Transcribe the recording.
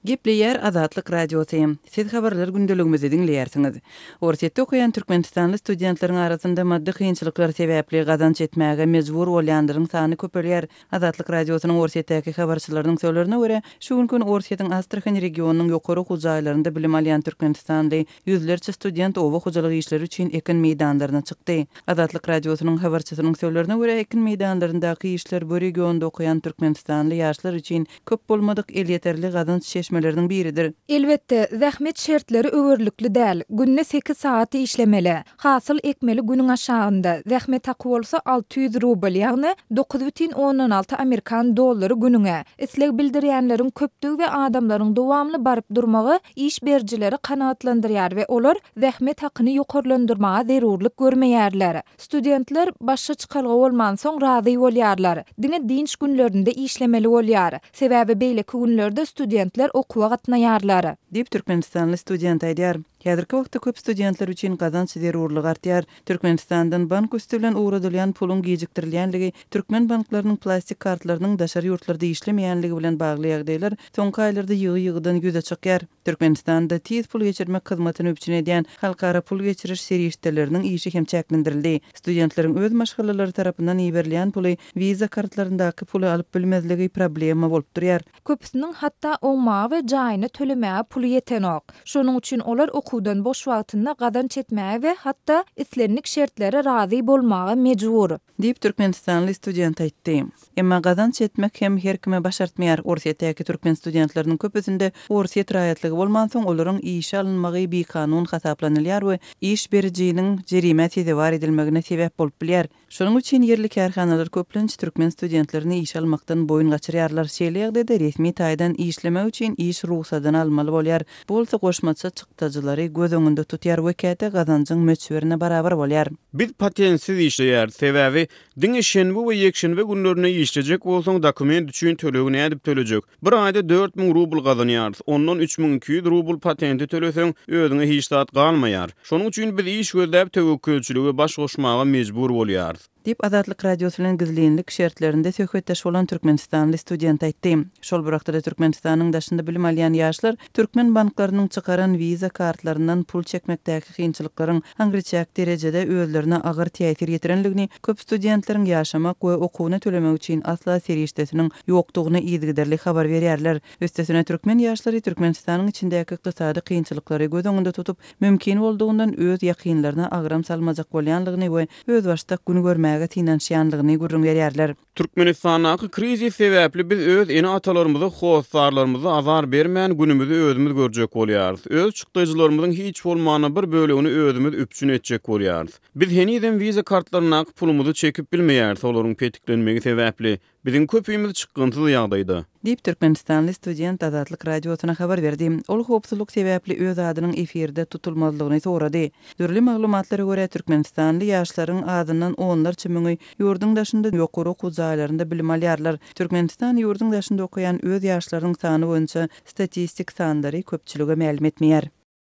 Gepleýär Azatlyk Radiosy. Siz habarlar gündeligimizi diňleýärsiňiz. Orsýetde okaýan türkmenistanly studentleriň arasynda maddy kynçylyklar sebäpli gazanç etmäge mejbur bolýanlaryň sany köpelýär. Azatlyk Radiosynyň Orsýetdäki habarçylarynyň sözlerine görä, şu günki gün Orsýetiň Astrahan regionynyň ýokary okuw jaýlarynda bilim alýan türkmenistanly ýüzlerçe student oba hojalyk işleri üçin ekin meýdanlaryna çykdy. Azatlyk Radiosynyň habarçysynyň sözlerine görä, ekin meýdanlaryndaky işler bu regionda okaýan türkmenistanly ýaşlar üçin köp bolmadyk elýeterli gazanç çeşmeleriniň biridir. Elbetde, zähmet şertleri öwerlikli däl. Günde sekiz sagat işlemeli. Hasyl ekmeli günüň aşagynda. Zähmet haky bolsa 600 rubl, ýagny 9,6 amerikan dollary günüňe. Isleg bildirýänleriň köpdügi we adamlaryň dowamly baryp durmagy iş berijileri kanagatlandyrýar we olar zähmet hakyny ýokarlandyrmaga zerurlyk görmeýärler. Studentler başga çykalga bolmansoň razy bolýarlar. Diňe dynç günlerinde işlemeli bolýar. Sebäbi beýleki günlerde studentler okuwa gatnaýarlar. Diýip, türkmenistanly student aýdýar. Häzirki wagtda köp studentler üçin gazanç zerurlygy artýar. Türkmenistandan bank üsti bilen ugradylýan puluň gijikdirilýänligi, türkmen banklarynyň plastik kartlarynyň daşary ýurtlarda işlemeýänligi bilen bagly ýagdaýlar soňky aýlarda ýygy-ýygydan ýüze çykýar. Türkmenistanda tiz pul geçirmek hyzmatyny üpjün edýän halkara pul geçiriş serişdeleriniň işi hem çäklendirildi. Studentleriň öz maşgalalary tarapyndan iberilýän puly Visa kartlaryndaky puly alyp bilmezligi problema bolup durýar. Köpüsiniň hatda oňmaga we jaýyny tölemäge puly ýetenok. Şonuň üçin olar okuwdan boş wagtynda gazanç etmäge we hatda islendik şertlere razy bolmaga mejbur. Diýip, türkmenistanly student aýtdy. Emma gazanç etmek hem her kime başartmaýar. Orsýetdäki türkmen studentleriniň köpüsinde orsýet raýatlygy bolmansoň, olaryň işe alynmagy bikanun hasaplanylýar we iş berijiniň jerimä sezewar edilmegine sebäp bolup bilýär. Şonuň üçin ýerli kärhanalar köplenç türkmen studentlerini işe almakdan boýun gaçyrýarlar. Şeýle ýagdaýda resmi taýdan işlemek üçin iş rugsadyny almaly bolýar. Bu bolsa goşmaça çykdajylary göz öňünde tutýar we käte gazanjyň möçberine barabar bolýar. Biz patentsiz işleýäris, sebäbi diňe şenbe we ýekşenbe günlerinde işlejek bolsaň dokument üçin tölegi nädip tölejek? Bir aýda 4000 rubl gazanýarys, ondan 3200 rubl patenti töleseň, özüňe hiç zat galmaýar. Şonuň üçin biz iş gözläp töwekgelçilige baş goşmaga mejbur bolýarys. Diýip, Azatlyk Radiosy bilen gizlinlik şertlerinde söhbetdeş bolan türkmenistanly student aýtdy. Şol bir wagtda-da Türkmenistanyň daşynda bilim alýan ýaşlar türkmen banklarynyň çykaran Visa kartlaryndan pul çekmekdäki kynçylyklaryň aňryçäk derejede özlerine agyr täsir ýetirendigini, köp studentleriň ýaşamak we okuwyny tölemek üçin asla serişdesiniň ýokdugyny yzygiderli habar berýärler. Üstesine, türkmen ýaşlary Türkmenistanyň içindäki ykdysady kynçylyklary göz öňünde tutup, mümkin boldugyndan öz ýakynlaryna agram salmajak bolýanlygyny we özbaşdak gün görmäge synanyşýanlygyny gürrüň berýärler. Türkmenistandaky krizis sebäpli biz öz ene-atalarymyza, hossarlarymyza azar bermän, günümizi özümiz görjek bolýarys. Öz çykdajylarymyzyň hiç bolmanda bir bölegini özümiz üpjün etjek bolýarys. Biz henizem wiza kartlaryndaky pulumyzy çekip bilmeýäris, olaryň petiklenmegi sebäpli. Biziň köpimiz çykgynsyz ýagdaýda. Diýip, türkmenistanly student Azatlyk Radiosyna habar berdi. Ol howpsuzlyk sebäpli öz adynyň efirde tutulmazlygyny sorady. Dürli maglumatlara görä, türkmenistanly ýaşlaryň azyndan onlarça müňi ýurduň daşynda ýokary okuw jaýlarynda bilim alýarlar. Türkmenistan ýurduň daşynda okaýan öz ýaşlarynyň sany boýunça statistik sanlary köpçülige mälim etmeýär.